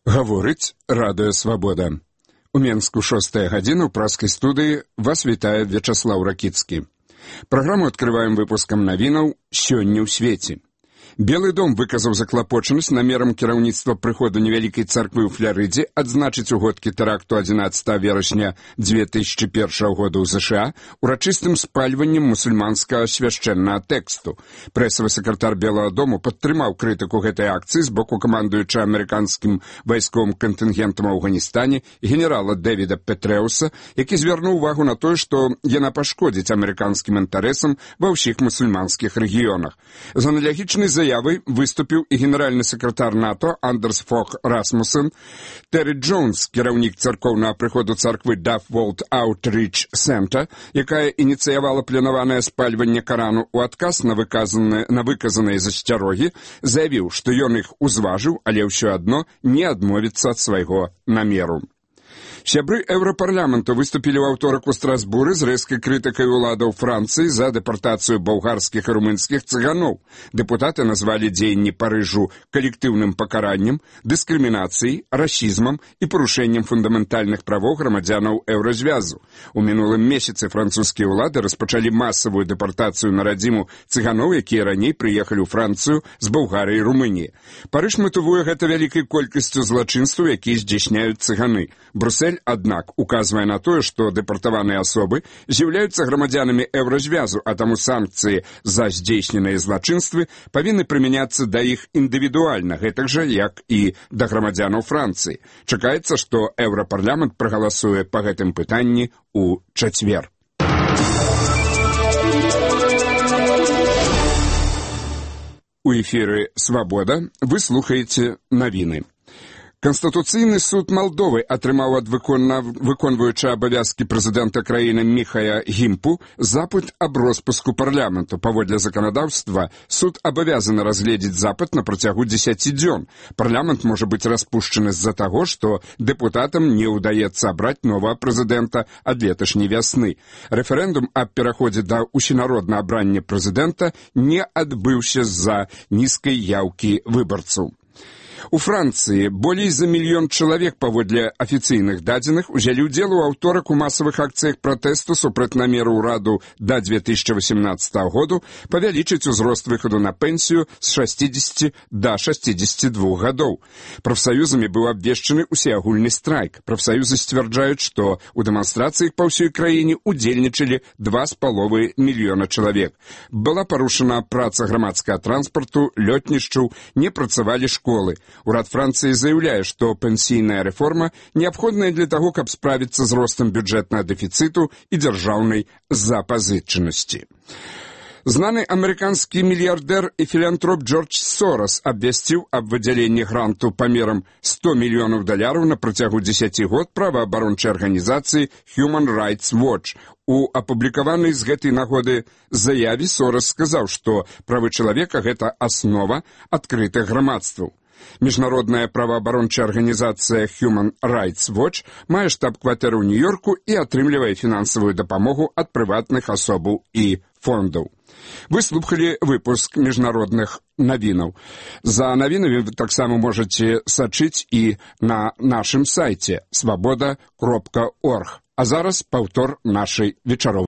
Гаворыць Радыё Свабода. У Менску 6 гадзіна ў праскай студыі вас вітае Вячаслаў Ракіцкі. Праграму адкрываем выпускам навінаў «Сёння ў свеце». Белы дом выказаў заклапочанасць намерам кіраўніцтва прыходу невялікай царквы ў Фларыдзе адзначыць у годкі тэракту 11 верасня 2001 года ў ЗША урачыстым спальваннем мусульманскага свяшчэннага тэксту. Прэсавы сакратар Белага дому падтрымаў крытыку гэтай акцыі з боку камандуюча амерыканскім вайсковым кантынгентам у Афганістане генерала Дэвіда Петрэуса, які звярнуў увагу на тое, што яна пашкодзіць амерыканскім інтарэсам ва ўсіх мусульманскіх рэгіёнах. З аналагічнай заявай выступіў і генеральны сакратар НАТО Андерс Фог Расмуссен. Тэры Джонс, кіраўнік царкоўнага прыходу царквы Дафф-Волт Аутрич Цэнтр, якая ініцыявала планаванае спальванне Карану ў адказ на выказаныя засцярогі, заявіў, што ён іх узважыў, але ўсё адно не адмовіцца ад свайго намеру. Сябры Еўрапарламенту выступілі ў аўторак у Страсбуры з рэзкай крытыкай уладаў Францыі за дэпартацыю балгарскіх і румынскіх цыганоў. Дэпутаты назвалі дзеянні Парыжу калектыўным пакараннем, дыскрымінацыяй, расізмам і парушэннем фундаментальных правоў грамадзянаў Еўразвязу. У мінулым месяцы французскія ўлады распачалі масавую дэпартацыю на радзіму цыганоў, якія раней прыехалі ў Францыю з Балгарыі і Румыніі. Парыж матывуе гэта вялікай колькасцю злачынстваў, якія здзяйсняюць цыганы. Брюссель, аднак, указвае на тое, што дэпартаваныя асобы з'яўляюцца грамадзянамі Еўразвязу, а таму санкцыі за здзейсненыя злачынствы павінны прымяняцца да іх індывідуальна, гэтак жа, як і да грамадзянаў Францыі. Чакаецца, што Еўрапарламент прагаласуе па гэтым пытанні ў чацвер. У эфіры «Свабода» вы слухаеце навіны. Канстытуцыйны суд Малдовы атрымаў ад выконваючага абавязкі прэзідэнта краіны Міхая Гімпу запыт аб роспуску парламенту. Паводле заканадаўства, суд абавязаны разгледзець запыт на працягу 10 дзён. Парламент можа быць распушчаны з-за таго, што дэпутатам не ўдаецца абраць новага прэзідэнта ад леташняй вясны. Рэферэндум аб пераходзе да усенароднага абрання прэзідэнта не адбыўся з-за нізкай яўкі выбарцаў. У Францыі болей за 1 мільён чалавек, паводле афіцыйных дадзеных, узялі ўдзел у аўторак у масавых акцыях пратэсту супраць намеру ўраду да 2018 году павялічыць узрост выхаду на пенсію з 60 да 62 гадоў. Прафсаюзамі быў абвешчаны усеагульны страйк. Прафсаюзы сцвярджаюць, што ў дэманстрацыях па ўсёй краіне удзельнічалі 2,5 мільёна чалавек. Была парушана праца грамадскага транспарту, лётнішчаў, не працавалі школы. Урад Францыі заяўляе, што пенсійная рэформа неабходная для таго, каб справіцца з ростам бюджэтнага дэфіцыту і дзяржаўнай запазычанасці. Знаны амерыканскі мільярдэр і філантроп Джордж Сорас абвясціў аб выдзяленні гранту памерам $100 мільёнаў на працягу 10 год праваабарончай арганізацыі Human Rights Watch. У апублікаванай з гэтай нагоды заяве Сорас сказаў, што правы чалавека – гэта аснова адкрытых грамадстваў. Міжнародная праваабарончая арганізацыя Human Rights Watch мае штаб-кватэру ў Нью-Йорку і атрымлівае фінансавую дапамогу ад прыватных асобаў і фондаў. Вы слухалі выпуск міжнародных навінаў. За навінамі вы таксама можаце сачыць і на нашым сайце swaboda.org. А зараз паўтор нашай вечаровай.